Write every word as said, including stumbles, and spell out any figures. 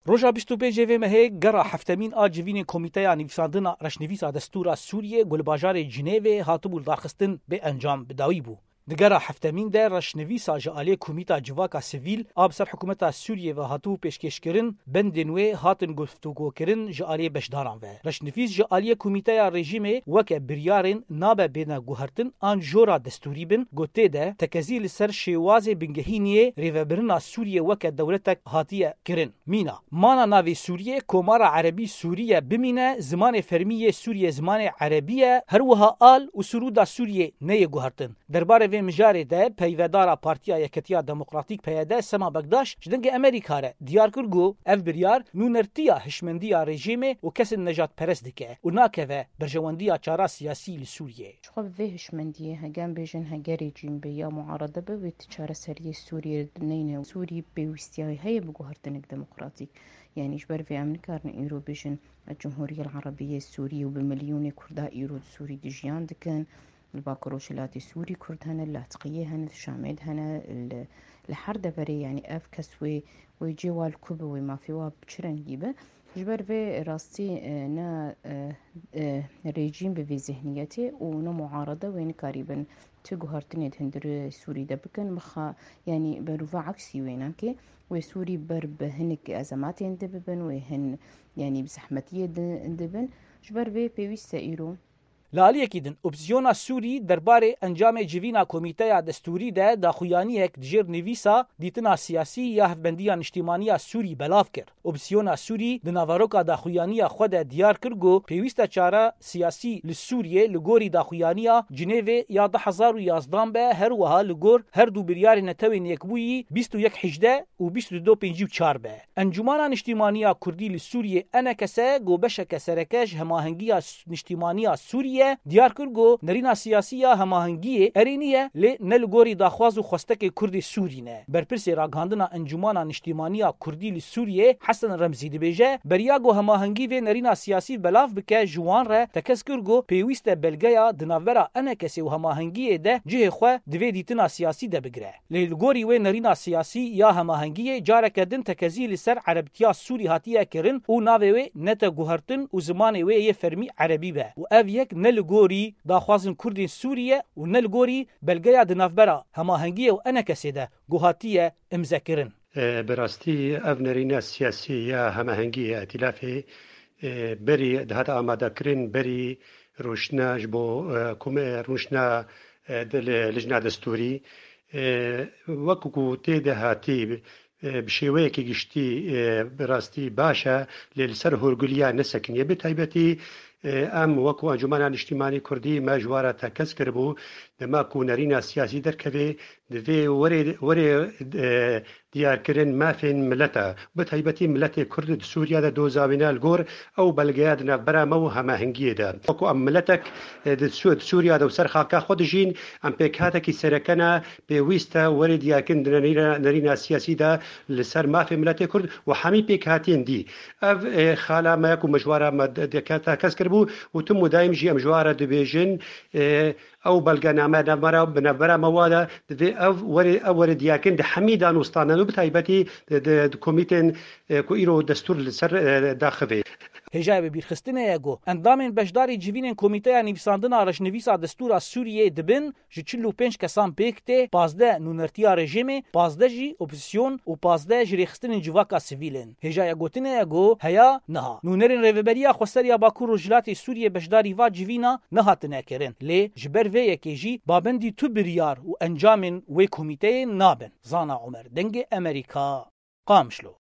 Roja bîst û pêncê vê mehê gera heftemîn a civînên Komîteya Nivîsandina Reşnivîsa Destûra Sûriyê ku li bajarê Cinêvê hatibû lidarxistin bê encam bi dawî bû. Di gera heftemîn de reşnivîsa ji aliyê Komîta Civaka Sivîl a bi ser hikûmeta Sûriyê ve hatibû pêşkêşkirin, bendên wê hatin guftûgokirin ji aliyê beşdaran ve. Reşnivîs ji aliyê Komîteya Rejîmê weke biryarên nabe bêne guhertin an jora destûrî bin, ku tê de tekezî li ser şêwazê bingehîniyê rêvebirina Sûriyê weke dewletek hatiye kirin. Mîna, mana navê Sûriyê, Komara Erebî Sûriye bimîne, zimanê fermî yê Sûriyê zimanê erebî ye, her wiha al û sirûda Sûriyê neyê guhertin. Derbarê vê mijarê de peyvedara Partiya Yeketiya Demokratîk P Y D Sema Bekdaş ji Dengê Amerîka re diyar kir ku ev biryar nûnertiya hişmendiya rejîmê û kesên nejadperest dike û nakeve berjewendiya çara siyasî li Sûriyê. Ji xwe bi vê hişmendiyê, hege em bêjin hege rejîm be ya muarede be, wê ti çareseriyê Sûriyê neyne. Sûrî pêwîstiya wê heye bi guhertinek demokratîk. Yanî ji ber vê em nikarin îro bêjin Cumhuriyel Erebiyê Sûrî û bi milyonê Kurda îro di Sûrî dijiyan dikin. Li Bakur Rojhilatê Sûrî Kurd hene, li Latiqiyê hene, li Şamê de hene, li, li her deverê, yanî ev kes wê, wê cê wa li ku be, wê mafê wa bi çi rengî be. Ji ber vê rastî, e, ne, e, e, rejîm bi vê zihniyetê û ne muarede wê nikarîbin ti guhertinê di hundirê Sûrî de bikin. Mixa, yanî berûva eksî wê nake. Wê Sûrî ber bi hinek ezematên di bibin, wê hin, yanî bi zehmetiyê di, dibin. Ji ber vê pêwîst e îro. Li aliyekî din, opozîsyona Sûrî derbarê encamê civîna Komîteya Destûrî de daxuyaniyek di jêr nivîsa Dîtina Siyasî ya Hevbendiya Niştîmaniya Sûrî belav kir. Opozîsyona Sûrî di naveroka daxuyaniya xwe de diyar kir ku pêwîst e çara siyasî li Sûriyê li gorî daxuyaniya Cinêvê ya du hezar û yazdan be, her wiha li gor her du biryarên Netewên Yekbûyî bîst û yek hejdeh û bîst û du pêncî û çar be. Encûmana Niştîmaniya Kurdî li Sûriyê, E N K S, ku beşeke sereke ji Hemahengiya S-, Niştîmaniya Sûriyê, diyar kir ku nerîna siyasî ya hemahengiyê erênî ye, lê ne li gorî daxwaz û xwestekê Kurdê Sûrî ne. Berpirsê ragihandina Encûmana Niştîmaniya Kurdî li Sûriyê, Hesen Remzî, dibêje, beriya ku hemahengî vê nerîna siyasî belav bike, ji wan re tekez kir ku pêwîst e belgeya di navbera E N K S û hemahengiyê de cihê xwe di vê dîtina siyasî de bigire. Lê li gorî wê nerîna siyasî ya hemahengiyê careke din tekezî li ser erebtiya Sûrî hatiye kirin û navê wê nete guhertin û zimanê wê yê fermî erebî be û ev yek ne li gorî daxwazên Kurdên Sûrî ye û ne li gorî belgeya di navbera hemahengiyê û E N K S'ê de ku hatiye îmzekirin. E, bi rastî ev nerîna siyasî ya hemahengiyê ya îtîlafê, e, berî dihate amadekirin, berî rûşna ji bo, e, kom-, e, rûşna, e, de li, lijna destûrî, e, wekî ku tê de hatî, e, bi şêweyekî giştî, e, bi rastî baş e, lê li ser hûrgiliya nesekiniye. Bi taybetî, e, em wekî Encûmena Niştîmanî Kurdî me ji wan re tekez kiribû, dema ku nerîna siyasî derkeve, divê were, were, e, diyarkirin mafên mileta, bi taybetî miletê Kurd di Sûriya de doza wî ne li gor ew belgeya di navbera me û hemahengiyê de. Wekî em miletek, e, di Sû-, di Sûriya de û ser xaka xwe dijîn, em pêkhatekî sereke ne, pêwîst e were diyarkirin di nerîna, nerîna siyasî de li ser mafê miletê Kurd û hemî pêkhatiyên dî. Ev, e, xala me ku me ji wan re me de-, de-, tekez kiribû û tim û daîm jî em ji wan re dibêjin, e, ew belgename navbera, bi navbera me wa de, divê ev were, ew were diyarkirin di hemî danûstanan û bi taybetî di, di, di komîtên, e, ku îro destûr li ser, e, daxivê. Hêjayê bibîrxistinê ye ku endamên beşdarî civînên Komîteya Nivîsandina Reşnivîsa Destûra Sûriyê dibin ji çil û pênc kesan pêk tê, pazdeh nûnertiya rejîmê, pazdeh jî opozîsyon û pazdeh ji rêxistinên civaka sivîl in. Hêjaya gotinê ye ku heya niha nûnerên Rêveberiya Xweseriya Bakur Rojhilatê Sûriyê beşdarî va civîna nehatine kirin, lê ji ber vê yekê jî babendî tu biryar û encamên wê komîteyê nabin. Zana Omer, Dengê Amerîka, Qamişlo.